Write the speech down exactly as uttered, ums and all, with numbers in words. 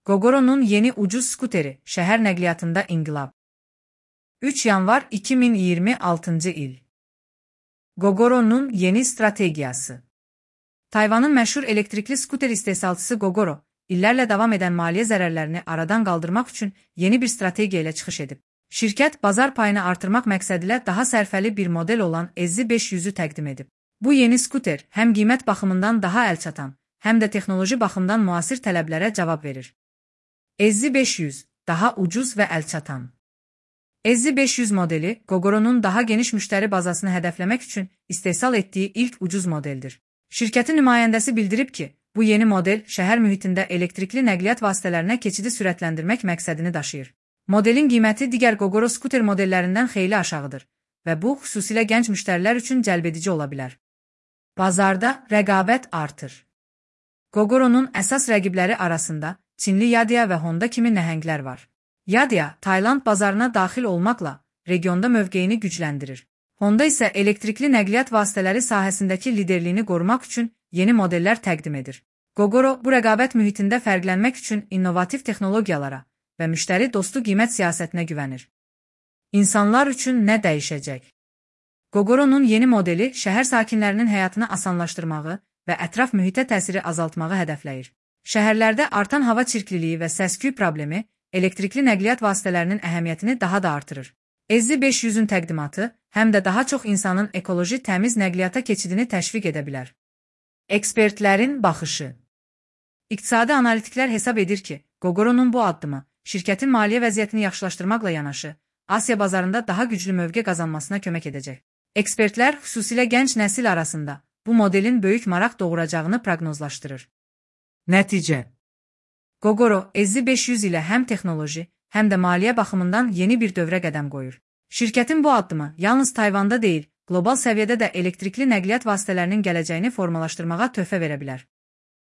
Gogoro'nun yeni ucuz skuteri, şəhər nəqliyyatında inqilab. üç yanvar iki min iyirmi altıncı il. Gogoro'nun yeni strategiyası. Tayvanın məşhur elektrikli skuter istehsalçısı Gogoro, illərlə davam edən maliyyə zərərlərini aradan qaldırmaq üçün yeni bir strategiya ilə çıxış edib. Şirkət, bazar payını artırmaq məqsədilə daha sərfəli bir model olan E Z beş yüzü təqdim edib. Bu yeni skuter həm qiymət baxımından daha əlçatan, həm də texnoloji baxımdan müasir tələblərə cavab verir. E Z beş yüz, daha ucuz və əlçatan. E Z beş yüz modeli, Gogoro'nun daha geniş müştəri bazasını hədəfləmək üçün istehsal etdiyi ilk ucuz modeldir. Şirkətin nümayəndəsi bildirib ki, bu yeni model şəhər mühitində elektrikli nəqliyyat vasitələrinə keçidi sürətləndirmək məqsədini daşıyır. Modelin qiyməti digər Gogoro skuter modellərindən xeyli aşağıdır və bu, xüsusilə gənc müştərilər üçün cəlbedici ola bilər. Bazarda rəqabət artır. Gogoro'nun əsas rəqibləri arasında Çinli Yadia və Honda kimi nəhənglər var. Yadia, Tayland bazarına daxil olmaqla regionda mövqeyini gücləndirir. Honda isə elektrikli nəqliyyat vasitələri sahəsindəki liderliyini qorumaq üçün yeni modellər təqdim edir. Gogoro, bu rəqabət mühitində fərqlənmək üçün innovativ texnologiyalara və müştəri dostu qiymət siyasətinə güvənir. İnsanlar üçün nə dəyişəcək? Gogoro'nun yeni modeli şəhər sakinlərinin həyatını asanlaşdırmağı və ətraf mühitə təsiri azaltmağı hədəfləyir. Şəhərlərdə artan hava çirkliliyi və səs-küy problemi elektrikli nəqliyyat vasitələrinin əhəmiyyətini daha da artırır. E Z beş yüzün təqdimatı həm də daha çox insanın ekoloji təmiz nəqliyyata keçidini təşviq edə bilər. Ekspertlərin baxışı. İqtisadi analitiklər hesab edir ki, Gogoro'nun bu addımı şirkətin maliyyə vəziyyətini yaxşılaşdırmaqla yanaşı, Asiya bazarında daha güclü mövqe qazanmasına kömək edəcək. Ekspertlər, xüsusilə gənc nəsil arasında bu modelin böyük maraq doğuracağını proqnozlaşdırır. Nəticə. Gogoro, E Z beş yüz ilə həm texnoloji, həm də maliyyə baxımından yeni bir dövrə qədəm qoyur. Şirkətin bu addımı yalnız Tayvanda deyil, qlobal səviyyədə də elektrikli nəqliyyat vasitələrinin gələcəyini formalaşdırmağa töhfə verə bilər.